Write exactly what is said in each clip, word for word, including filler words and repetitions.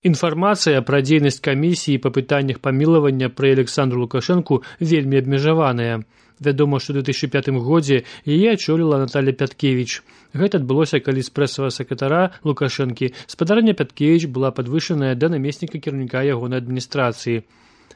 Інфармацыя пра дзейнасць камісіі па пытаннях памілавання пры Александру Лукашэнку вельмі абмежаваная. Вядома, што ў две тысячы пятым годзе яе ачоліла Наталья Пяткевіч. Гэта адбылося, калі з прэсавага сакратара Лукашэнкі спадарня Пяткевіч была падвышаная да намесніка кіраўніка ягонай адміністрацыі.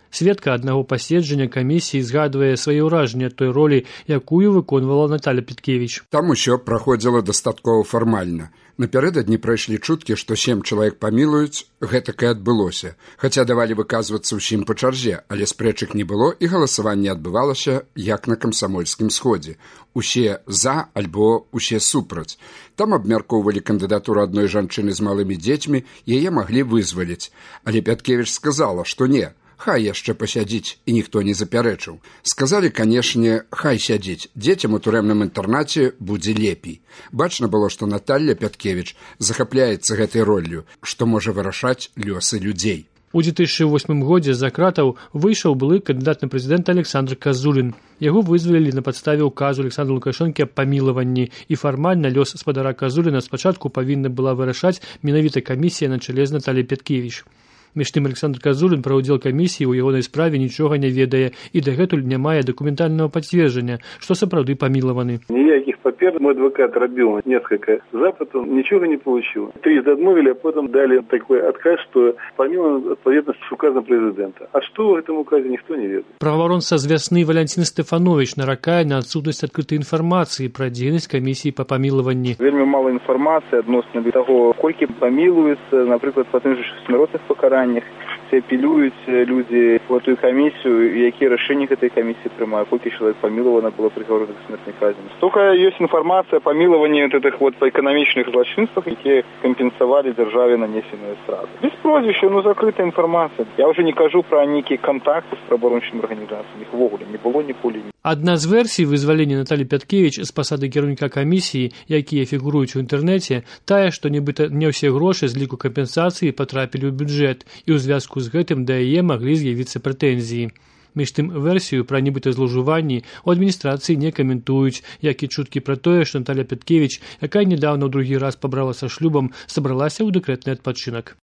Сведка аднаго паседжання камісіі згадвае свае ўражанні ад той ролі, якую выконвала Наталья Пяткевіч. Там усё праходзіла дастаткова фармальна. Напярэдадні прайшлі чуткі, што сем чалавек памілуюць, гэтак і адбылося. Хаця давалі выказвацца ўсім па чарзе, але спрэчак не было і галасаванне адбывалася, як на камсамольскім сходзе. Усе за альбо усе супраць. Там абмяркоўвалі кандыдатуру адной жанчыны з малымі дзецьмі, яе маглі вызваліць. Але Пяткевіч сказала, што не. Хай яшчэ пасядзіць, і ніхто не запярэчыў. Сказалі, канешне, хай сядзіць. Дзецям у турэмным інтэрнаце будзе лепей. Бачна было, што Наталья Пяткевіч захапляецца гэтай роллю, што можа вырашаць лёсы людзей. У две тысячи восьмым годзе з-за кратаў выйшаў былы кандыдат на прэзідэнта Александр Казулін. Яго вызвалілі на падставе ўказу Александра Лукашэнкі аб памілаванні, і фармальна лёс спадара Казуліна спачатку павінна была вырашаць менавіта камісія на чале з Натальяй Пяткевіч. Між тым Александр Казулін пра ўдзел камісіі ў ягонай справе нічога не ведае і дагэтуль не мае дакументальнага пацверджання, што сапраўды памілаваны. Никаких папер мой адвокат робил несколько запытов, ничего не получил. Трижды отмовили, а потом дали такой отказ, что помилован отповедно с указом президента. А что в этом указе, никто не ведает. Праваабаронца з Вясны Валентин Стефанович наракае на адсутнасць адкрытай інфармацыі пра дзейнасць камісіі па памілаванні. Вельмі мала інфармацыі адносна таго, колькі памілуецца, напрыклад, па тым жа смяротных пакараннях. Все апелююць людзі в эту камісію, якія рашэнні гэтай камісіі прымаюць, колькі чалавек памілавана было прыгаварана да смертнай казни. Только ёсць інфармацыя о памілаванні гэтых вот эканамічных злачынствах, якія кампенсавалі дзяржаве нанесеныя страты. Без прозвішча, ну закрытая інфармацыя. Я уже не кажу пра нейкія контакты з праваабарончымі арганізацыямі. Іх увогуле не было ніколі. Адна з версій вызвалення Натальи Пяткевіч з пасады кіраўніка камісіі, якія фігуруюць у інтэрнэце, тая, што нібыта не ўсе грошы з ліку кампенсацыі патрапілі ў бюджэт, і ў звязку з гэтым да яе маглі з'явіцца прэтэнзіі. Між тым, версію пра нібыта злоўжыванні ў адміністрацыі не каментуюць, як і чуткі пра тое, што Наталья Пяткевіч, якая нядаўна ў другі раз пабралася шлюбам, сабралася ў дэкрэтны адпачынак.